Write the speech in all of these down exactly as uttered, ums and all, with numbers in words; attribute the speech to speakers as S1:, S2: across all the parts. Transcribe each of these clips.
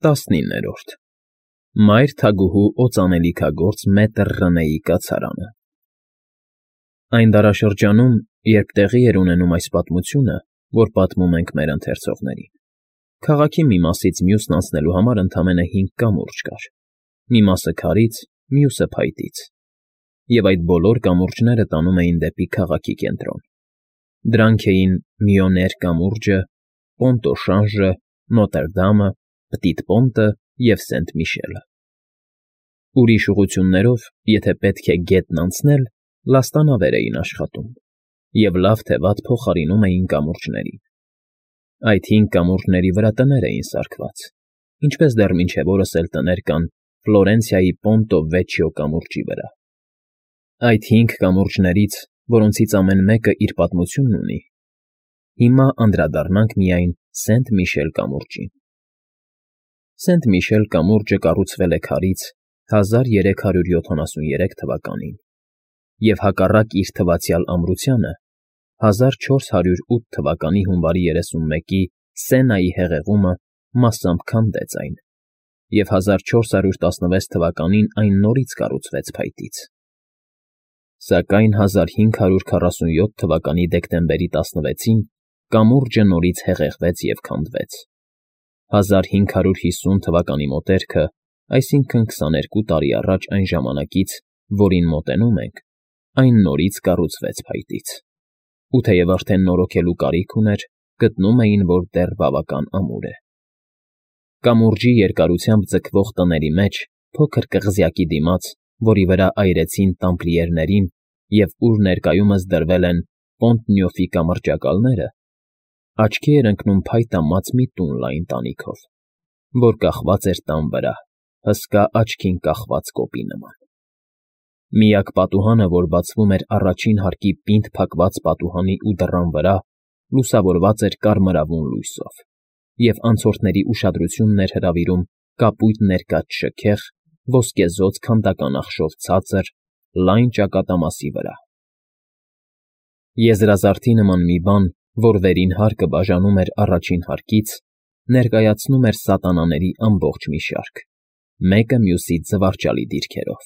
S1: ՏԱՍՆԻՆՆԵՐՈՐԴ Մայր թագուհու օծանելիքագործ մետր Ռնեի կացարանը Այն դարաշրջանում, երբ տեղի էր ունենում այս պատմությունը, որ պատմում ենք մեր ընթերցողներին, քաղաքի մի մասից մյուսն անցնելու համար ընդամենը հինգ կամուրջ կար. մի մասը քարից, մյուսը փայտից, և այդ բոլոր կամուրջները տանում էին դեպի քաղաքի կենտրոն. դրանք էին Մյոներ կամուրջը, Պոնտոշանժը, Նոտրդամը, Պտիտ Պոնտը և Սենտ Միշելը։ Ուրիշ ուղղություններով, եթե պետք է գետն անցնել, լաստանավեր էին աշխատում և լավ թե վատ փոխարինում էին կամուրջներին։ Այդ հինգ կամուրջների վրա տներ էին սարքված, ինչպես դեռ մինչև օրս էլ տներ կան Ֆլորենցիայի Պոնտո Վեչիո կամուրջի վրա։ Այդ հինգ կամուրջներից, որոնցից ամեն մեկը իր պատմությունն ունի, հիմա անդրադառնանք միայն Սենտ Միշել կամուրջին։ Սենտ Միշել կամուրջը կառուցվել է քարից հազար երեք հարյուր յոթանասուներեք թվականին և հակառակ իր թվացյալ ամրությանը հազար չորս հարյուր ութ թվականի հունվարի երեսունմեկի Սենայի հեղեղումը մասամբ քանդեց այն, և հազար չորս հարյուր տասնվեց թվականին այն նորից կառուցվեց փայտից։ Սակայն հազար հինգ հարյուր քառասունյոթ թվականի դեկտեմբերի տասնվեցին կամուրջը նորից հեղեղվեց և քանդվեց։ հազար հինգ հարյուր հիսուն թվականի մոտերքը, այսինքն քսաներկու տարի առաջ այն ժամանակից, որին մոտենում ենք, այն նորից կառուցվեց փայտից, ու թեև արդեն նորոգելու կարիք ուներ, գտնում էին, որ դեռ բավական ամուր է։ Կամուրջի երկարությամբ ձգվող տների մեջ, փոքր կղզյակի դիմաց, որի վրա այրեցին տամպլիերներին և ուր ներկայումս դրվել են Պոնտ֊Նյոֆի կամրջակալները, աչքի էր ընկնում փայտամած մի տուն լայն տանիքով, որ կախված էր տան վրա, հսկա աչքին կախված կոպի նման։ Միակ պատուհանը, որ բացվում էր առաջին հարկի պինդ փակված պատուհանի ու դռան վրա, լուսավորված էր կարմրավուն լույսով, և անցորդների ուշադրությունն էր հրավիրում կապույտ ներկած շքեղ, ոսկեզօծ քանդական ախշով ցածր, լայն ճակատամասի վրա։ Եզրազարդի նման մի բան, որ վերին հարկը բաժանում էր առաջին հարկից, ներկայացնում էր սատանաների ամբողջ մի շարք, մեկը մյուսից զվարճալի դիրքերով,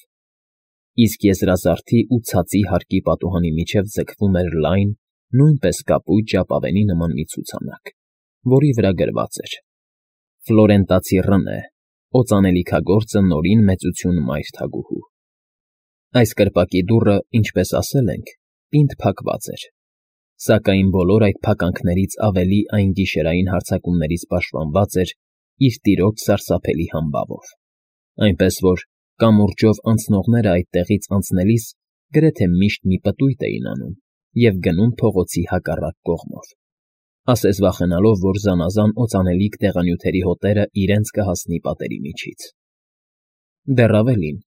S1: իսկ եզրազարդի ու ցածի հարկի պատուհանի միջև ձգվում էր լայն, նույնպես կապույտ ժապավենի նման մի ցուցանակ, որի վրա գրված էր. «Ֆլորենտացի Ռնե, օծանելիքագործը Նորին Մեծություն Մայր թագուհու»։ Այս կրպակի դուռը, ինչպես ասել ենք, պինդ փակված էր, սակայն բոլոր այդ փականքներից ավելի այն գիշերային հարձակումներից պաշտպանված էր իր տիրոջ սարսափելի համբավով, այնպես որ կամուրջով անցնողները այդտեղից անցնելիս գրեթե միշտ մի պտույտ էին անում և գնում փողոցի հակառակ կողմով, ասես վախենալով, որ զանազան օծանելիք դեղանյութերի հոտերը իրենց կհասնի պատերի միջից։ Դեռ ավելին,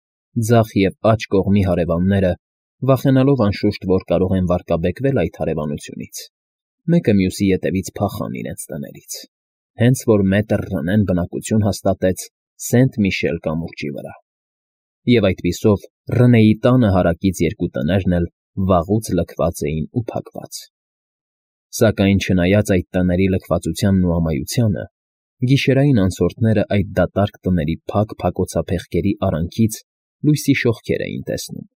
S1: ձախ և աջ կողմի հարևանները, վախենալով անշուշտ, որ կարող են վարկաբեկվել այդ հարևանությունից, մեկը մյուսի ետևից փախան իրենց տներից, հենց որ մետր Ռնեն բնակություն հաստատեց Սենտ Միշել կամուրջի վրա։ Եվ այդպիսով Ռնեի տանը հարակից երկու տներն էլ վաղուց լքված էին ու փակված։ Սակայն չնայած այդ տների լքվածությանն ու ամայությանը, գիշերային անցորդները այդ դատարկ տների փակ փակոցափեղկերի արանքից լույսի շողքեր էին տեսնում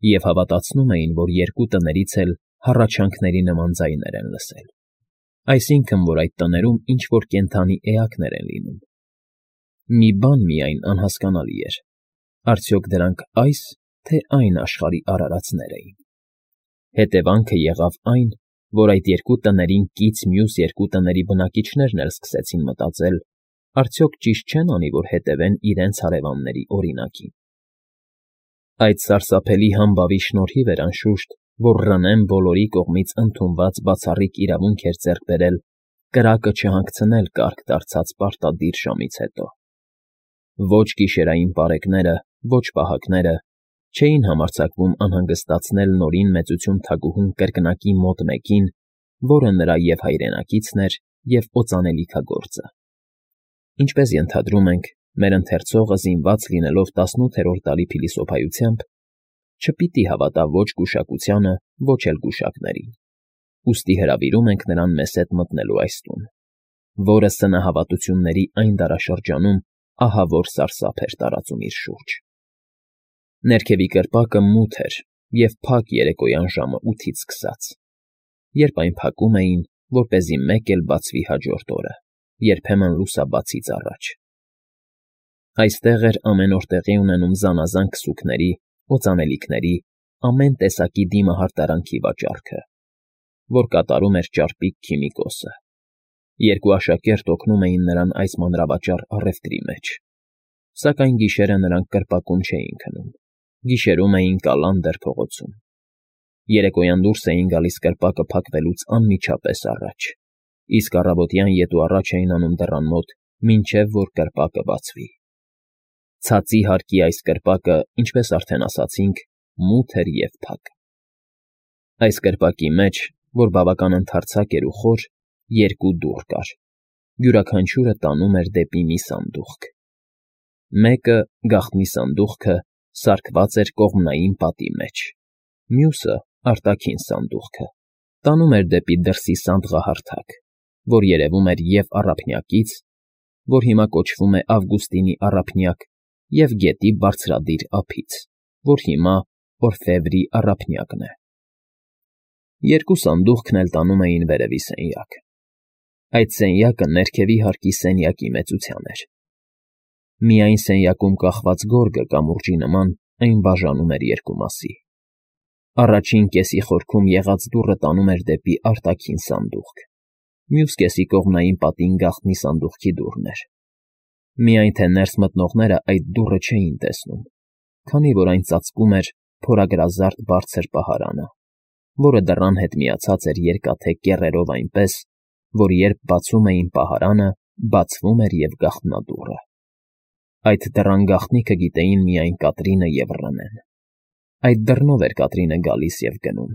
S1: և հավատացնում էին, որ երկու տներից էլ հառաչանքների նման ձայներ են լսել, այսինքն, որ այդ տներում ինչ֊որ կենդանի էակներ են լինում։ Մի բան միայն անհասկանալի էր. արդյոք դրանք այս, թե այն աշխարհի արարածներ էին։ Հետևանքը եղավ այն, որ այդ երկու տներին կից մյուս երկու տների բնակիչներն էլ սկսեցին մտածել. արդյոք ճիշտ չեն անի, որ հետևեն իրենց հարևանների օրինակին։ Այդ սարսափելի համբավի շնորհիվ էր, անշուշտ, որ Ռնեն բոլորի կողմից ընդունված բացառիկ իրավունք էր ձեռք բերել կրակը չհանգցնել կարգ դարձած պարտադիր ժամից հետո։ Ոչ գիշերային պարեկները, ոչ պահակները չէին համարձակվում անհանգստացնել Նորին Մեծություն թագուհուն կրկնակի մոտ մեկին, որը նրա և հայրենակիցն էր, և օծանելիքագործը։ Ինչպես ենթադրում ենք, մեր ընթերցողը զինված լինելով տասնութերորդ տարի փիլիսոփայությամբ, չպիտի հավատա ոչ գուշակությանը, ոչ էլ գուշակներին, ուստի հրավիրում ենք նրան մեզ հետ մտնելու այս տուն, որը սնահավատությունների այն դարաշրջանում ահավոր սարսափ էր տարածում իր շուրջ։ Ներքևի կրպակը մութ էր և փակ երեկոյան ժամը ութից սկսած, երբ այն փակում էին, որպեսզի մեկ էլ բացվի հաջորդ օրը, երբեմն լուսաբացից առաջ։ Այստեղ էր ամեն օր տեղի ունենում զանազան քսուքների, օծանելիքների, ամեն տեսակի դիմահարտարանքի վաճառքը, որ կատարում էր ճարպիկ քիմիկոսը։ Երկու աշակերտ օգնում էին նրան այս մանրավաճառ առևտրի մեջ, սակայն գիշերը նրանք կրպակում չէին քնում, գիշերում էին Կալանդր փողոցում։ Երեկոյան դուրս էին գալիս կրպակը փակվելուց անմիջապես առաջ, իսկ առավոտյան ետու առաջ էին անում դռան մոտ, մինչև որ կրպակը բացվի։ Ցածի հարկի այս կրպակը, ինչպես արդեն ասացինք, մութ էր և փակ։ Այս կրպակի մեջ, որ բավական ընդարձակ էր ու խոր, երկու դուռ կար, յուրաքանչյուրը տանում էր դեպի մի սանդուղք։ Մեկը, գաղտնի սանդուղքը, սարքված էր կողմնային պատի մեջ, մյուսը, արտաքին սանդուղքը, տանում էր դեպի դրսի սանդղահարթակ, որ երևում էր և առափնյակից, որ հիմա կոչվում է Ավգուստինի առափնյակ, և գետի բարձրադիր ափից, որ հիմա Օրֆևրի առափնյակն է։ Երկու սանդուղքն էլ տանում էին վերևի սենյակ։ Այդ սենյակը ներքևի հարկի սենյակի մեծության էր։ Միայն սենյակում կախված գորգը կամուրջի նման այն բաժանում էր երկու մասի։ Առաջին կեսի խորքում եղած դուռը տանում էր դեպի արտաքին սանդուղք, մյուս կեսի կողմնային պատին գաղտնի սանդուղքի դուռն էր։ Միայն թե ներս մտնողները այդ դուռը չէին տեսնում, քանի որ այն ծածկում էր փորագրազարդ բարձր պահարանը, որը դռան հետ միացած էր երկաթե կեռերով այնպես, որ երբ բացում էին պահարանը, բացվում էր և գաղտնադուռը։ Այդ դռան գաղտնիքը գիտեին միայն Կատրինը և Ռնեն։ Այդ դռնով էր Կատրինը գալիս և գնում,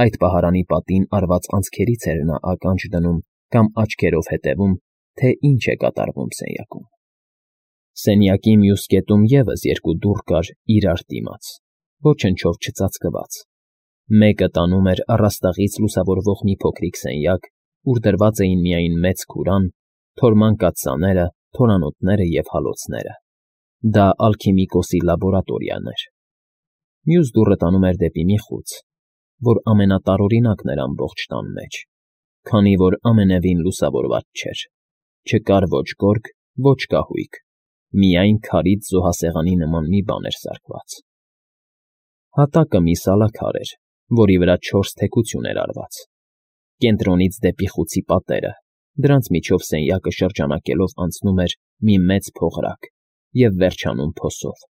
S1: այդ պահարանի պատին արված անցքերից էր նա ականջ դնում կամ աչքերով հետևում, թե ինչ է կատարվում սենյակում։ Սենյակի մյուս կետում ևս երկու դուռ կար իրար դիմաց, ոչնչով չծածկված։ Մեկը տանում էր առաստաղից լուսավորվող մի փոքրիկ սենյակ, ուր դրված էին միայն մեծ քուրան, թորման կաթսաները, թորանոթները և հալոցները։ Դա ալքիմիկոսի լաբորատորիան էր։ Մյուս դուռը տանում էր դեպի մի խույց, որ ամենատարօրինակն էր ամբողջ տան մեջ, քանի որ ամենևին լուսավորված չէր, չկար ոչ գորգ, ոչ կահույք, միայն քարից զոհասեղանի նման մի բան էր սարքված։ Հատակը մի սալաքար էր, որի վրա չորս թեքություն էր արված։ Կենտրոնից դեպի խուցի պատերը, դրանց միջով սենյակը շրջանակելով անցնում էր մի մեծ փողրակ և վերջանում փոսով,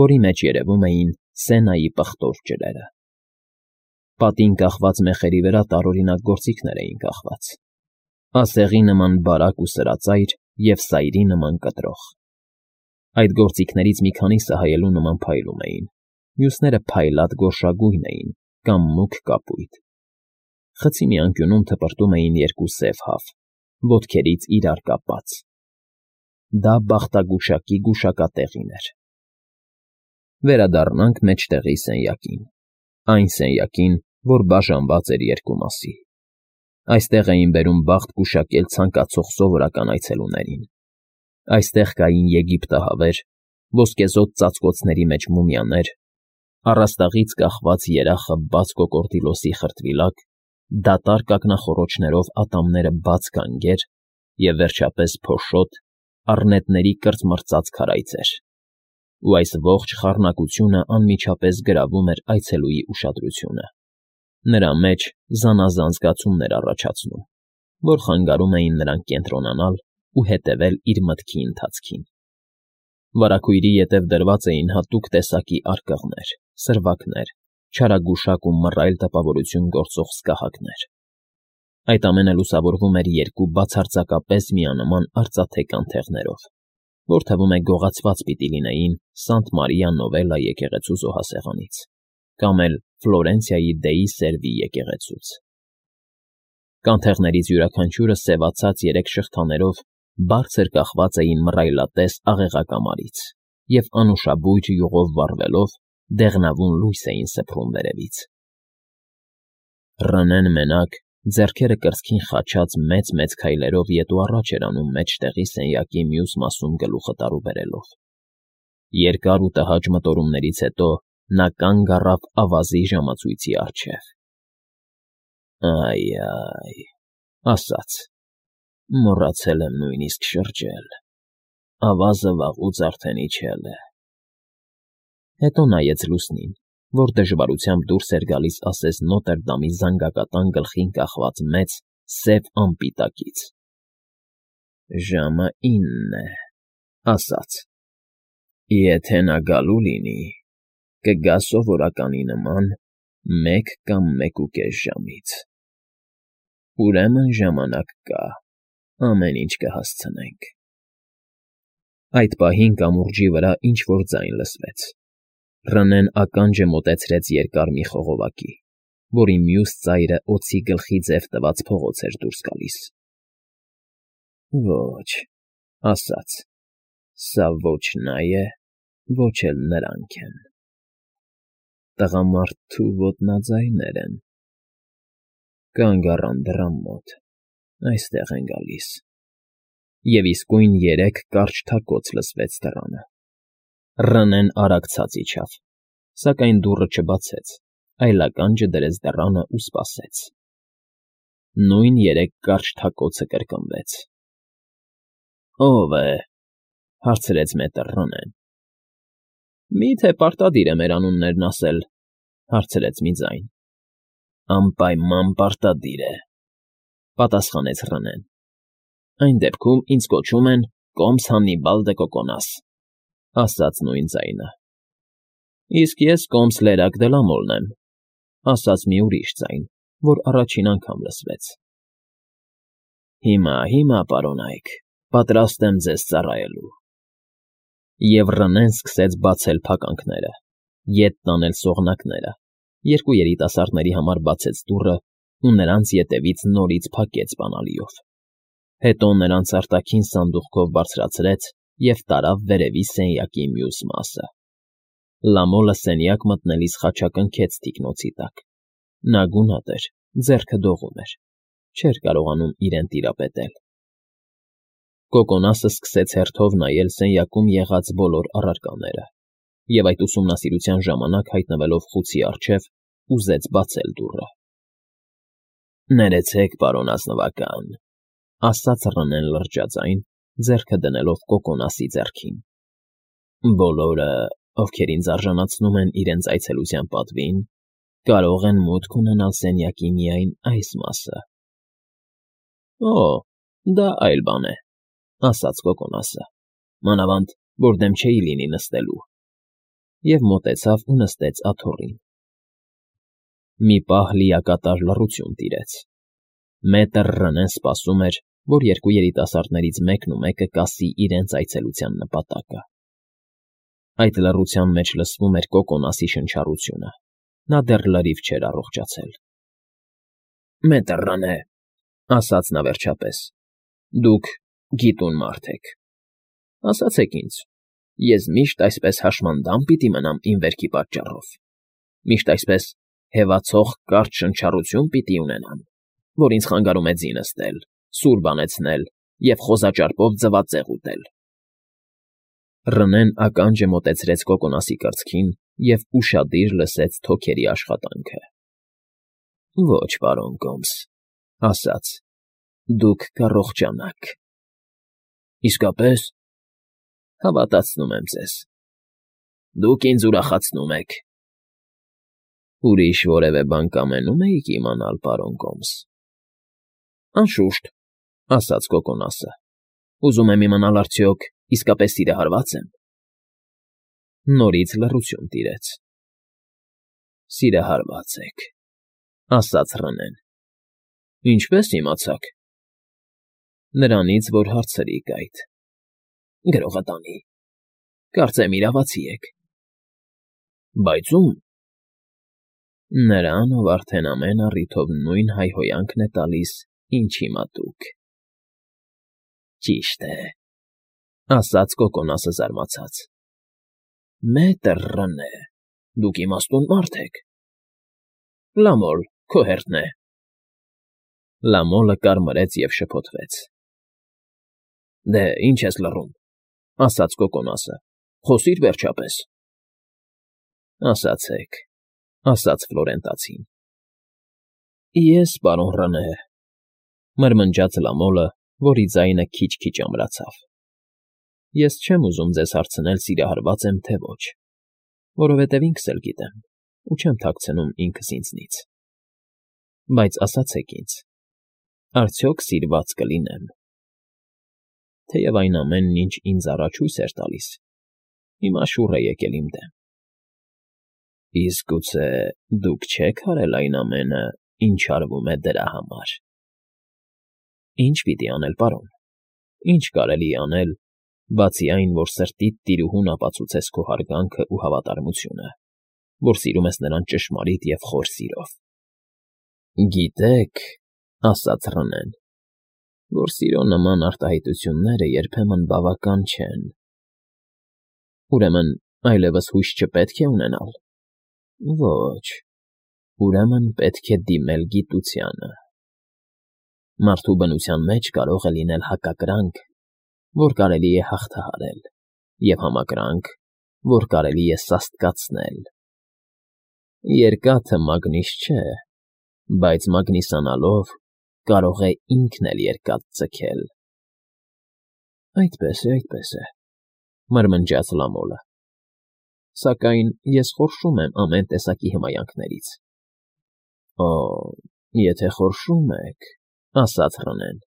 S1: որի մեջ երևում էին Սենայի պղտոր ջրերը։ Պատին կախված մեխերի վրա տարօրինակ գործիքներ էին կախված. ասեղի նման բարակ ու սրածայր և սայրի նման կտրող։ Այդ գործիքներից մի քանիսը հայելու նման փայլում էին, մյուսները փայլատ գորշագույն էին կամ մուգ կապույտ։ Խցի մի անկյունում թպրտում էին երկու սև հավ, ոտքերից իրար կապած։ Դա բախտագուշակի գուշակատեղին էր։ Վերադառնանք մեջտեղի սենյակին, այն սենյակին, որ բաժանված էր երկու մասի։ Այստեղ էին բերում բախտ գուշակել ցանկացող սովորական այցելուներին։ Այստեղ կային եգիպտահավեր, ոսկեզօծ ծածկոցների մեջ մումիաներ, առաստաղից կախված երախը բաց կոկորդիլոսի խրտվիլակ, դատարկ ակնախոռոչներով ատամները բաց գանգեր և, վերջապես, փոշոտ, առնետների կրծմռծած քարայծեր։ Ու այս ողջ խառնակությունը անմիջապես գրավում էր այցելուի ուշադրությունը, նրա մեջ զանազան զգացումներ առաջացնում, որ խանգարում էին նրան կենտրոնանալ ու հետևել իր մտքի ընթացքին։ Վարագույրի ետև դրված էին հատուկ տեսակի արկղներ, սրվակներ, չարագուշակ ու մռայլ տպավորություն գործող սկահակներ։ Այդ ամենը լուսավորվում էր երկու բացարձակապես միանման արծաթե կանթեղներով, որ թվում է գողացված պիտի լինեին Սանտ Մարիա Նովելլա եկեղեցու զոհասեղանից կամ էլ Ֆլորենցիայի Դեի Սերվի եկեղեցուց։ Կանթեղներից յուրաքանչյուրը սևացած երեք շղթաներով բարձր կախված էին մռայլատես աղեղակամարից և անուշաբույր յուղով վառվելով դեղնավուն լույս էին սփռում վերևից։ Ռնեն մենակ ձեռքերը կրծքին խաչած մեծ֊մեծ քայլերով ետ ու առաջ էր անում մեջտեղի սենյակի մյուս մասում գլուխը տարուբերելով։ Երկար ու տհաճ մտորումներից հետո նա կանգ առավ ավազի ժամացույցի առջև։ «Այ֊այ», ասաց, «մոռացել եմ նույնիսկ շրջել, ավազը վաղուց արդեն իջել է»։ Հետո նայեց լուսնին, որ դժվարությամբ դուրս էր գալիս ասես Նոտրդամի զանգակատան գլխին կախված մեծ, սև ամպի տակից։ «Ժամը ինն է», ասաց, «եթե նա գալու լինի, կգա սովորականի նման մեկ կամ մեկուկես ժամից։ Ուրեմն ժամանակ կա, ամեն ինչ կհասցնենք»։ Այդ պահին կամուրջի վրա ինչ֊որ ձայն լսվեց։ Ռնեն ականջը մոտեցրեց երկար մի խողովակի, որի մյուս ծայրը օձի գլխի ձև տված փողոց էր դուրս գալիս։ «Ոչ», ասաց, «սա ոչ նա է, ոչ էլ նրանք են։ Տղամարդու ոտնաձայներ են։ Կանգ առան դռան մոտ, այստեղ են գալիս»։ Եվ իսկույն երեք կարճ թակոց լսվեց դռանը։ Ռնեն արագ ցած իջավ, սակայն դուռը չբացեց, այլ ականջը դրեց դռանը ու սպասեց։ Նույն երեք կարճ թակոցը կրկնվեց։ «Ո՞վ է», հարցրեց մետր Ռնեն։ «Մի՞թե պարտադիր է մեր անուններն ասել», հարցրեց մի ձայն։ «Անպայման պարտադիր է», պատասխանեց Ռնեն։ «Այն դեպքում ինձ կոչում են Կոմս Հաննիբալ դը Կոկոնաս», ասաց նույն ձայնը։ «Իսկ ես Կոմս Լերակ դը Լամոլն եմ», ասաց մի ուրիշ ձայն, որ առաջին անգամ լսվեց։ «Հիմա, հիմա, պարոնայք, պատրաստ եմ ձեզ ծառայելու»։ Եվ Ռնեն սկսեց բացել փականքները, ետ տանել սողնակները, երկու երիտասարդների համար բացեց դուռը ու նրանց ետևից նորից փակեց բանալիով։ Հետո նրանց արտաքին սանդուղքով բարձրացրեց և տարավ վերևի սենյակի մյուս մասը։ Լամոլը սենյակ մտնելիս խաչակնքեց թիկնոցի տակ։ Նա գունատ էր, ձեռքը դողում էր, չէր կարողանում իրեն տիրապետել։ Կոկոնասը սկսեց հերթով նայել սենյակում եղած բոլոր առարկաները և այդ ուսումնասիրության ժամանակ հայտնվելով խուցի առջև, ուզեց բացել դուռը։ «Ներեցեք, պարոն ազնվական», ասաց Ռնեն լրջաձայն, ձեռքը դնելով Կոկոնասի ձեռքին։ «Բոլորը, ովքեր ինձ արժանացնում են իրենց այցելության պատվին, կարող են մուտք ունենալ սենյակի միայն այս մասը»։ «Օ, դա այլ բան է», ասաց Կոկոնասը, «մանավանդ, որ դեմ չէի լինի նստելու», և մոտեցավ ու նստեց աթոռին։ Մի պահ լիակատար լռություն տիրեց։ Մետր Ռնեն սպասում էր, որ երկու երիտասարդներից մեկն ու մեկը կասի իրենց այցելության նպատակը։ Այդ լռության մեջ լսվում էր Կոկոնասի շնչառությունը։ Նա դեռ լրիվ չէր առողջացել։ «Մետր Ռնե», ասաց նա վերջապես, «դուք գիտուն մարդ եք։ Ասացեք ինձ, ես միշտ այսպես հաշմանդամ պիտի մնամ իմ վերքի պատճառով, միշտ այսպես հևացող կարճ շնչառություն պիտի ունենամ, որ ինձ խանգարում է ձի նստել, սուր բանեցնել և խոզաճարպով ձվածեղ ուտել»։ Ռնեն ականջը մոտեցրեց Կոկոնասի կրծքին և ուշադիր լսեց թոքերի աշխատանքը։ «Ոչ, պարոն Կոմս», ասաց, «դուք կառողջանաք»։ «Իսկապե՞ս»։ «Հավատացնում եմ ձեզ։ Դուք ինձ ուրախացնում եք»։ «Ուրիշ որևէ բան կամենում էիք իմանալ, պարոն Կոմս»։ «Անշուշտ», ասաց Կոկոնասը, «ուզում եմ իմանալ արդյոք իսկապես սիրահարվա՞ծ եմ»։ Նորից լռություն տիրեց։ «Սիրահարված եք», ասաց Ռնեն։ «Ինչպե՞ս իմացաք»։ «Նրանից, որ հարցրիք այդ»։ «Գրողը տանի, կարծեմ իրավացի եք»։ «Բայց ո՞ւմ»։ «Նրան, ով արդեն ամեն առիթով նույն հայհոյանքն է տալիս, ինչ հիմա դուք»։ «Ճիշտ է», ասաց Կոկոնասը զարմացած։ «Մետր Ռնե, դուք իմաստուն մարդ եք»։ «Լամոլ, քո հերթն է»։ Լամոլը կարմրեց և շփոթվեց։ ֊ Դե, ինչ ես լռում,֊ ասաց կոկոնասը։֊ Խոսի՛ր, վերջապես։ ֊ Ասացեք,֊ ասաց Ֆլորենտացին։ ֊ Ես, պարոն Ռոնե,֊ մրմնջաց Լամոլը, որի ձայնը քիչ֊քիչ ամրացավ,֊ ես չեմ ուզում ձեզ հարցնել սիրահարվա՞ծ եմ, թե ոչ, որովհետև ինքս էլ գիտեմ ու չեմ թաքցնում ինքս ինձնից, բայց ասացեք ինձ, արդյոք սիրված կլինե՞մ։ Թեև այն ամենն, ինչ ինձ առաջ հույս էր տալիս, հիմա շուռ է եկել իմ դեմ։ ֊ Իսկ գուցե դուք չե՞ք արել այն ամենը, ինչ արվում է դրա համար։ ֊ Ի՞նչ պիտի անել, պարոն, ի՞նչ կարելի է անել, բացի այն, որ սրտիդ տիրուհուն ապացուցես քո հարգանքն ու հավատարմությունը, որ սիրում ես նրան ճշմարիտ և խոր սիրով։ ֊ Գիտեք,֊ ասաց Ռոնեն,֊ որ սիրո նման արտահայտությունները երբեմն բավական չեն։ ֊ Ուրեմն այլևս հույս չպետք է ունենալ։ ֊ Ոչ, ուրեմն պետք է դիմել գիտությանը։ Մարդու բնության մեջ կարող է լինել հակակրանք, որ կարելի է հաղթահարել, և համակրանք, որ կարելի է սաստկացնել։ Երկաթը մագնիս չէ, բայց մագնիսանալով կարող է ինքն էլ երկաթ ձգել։ ֊ Այդպես է, այդպես է,֊ մրմնջաց Լամոլը,֊ սակայն ես խորշում եմ ամեն տեսակի հմայանքներից։ ֊ Օ, եթե խորշում եք,֊ ասաց Ռոնեն,֊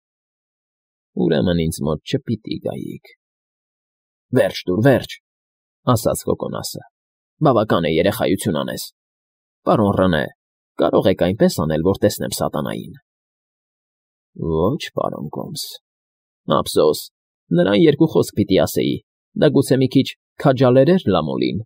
S1: ուրեմն ինձ մոտ չպիտի գայիք։ ֊ Վերջ տուր, վերջ,֊ ասաց կոկոնասը,֊ բավական է երեխայություն անես։ Պարոն Ռոնե, կարող եք այնպես անել, որ տեսնեմ սատանային։ ֊ Ոչ, պարոն Կոմս։ ֊ Ափսոս, նրան երկու խոսք պիտի ասեի, դա գուցե մի քիչ քաջալերեր Լամոլին,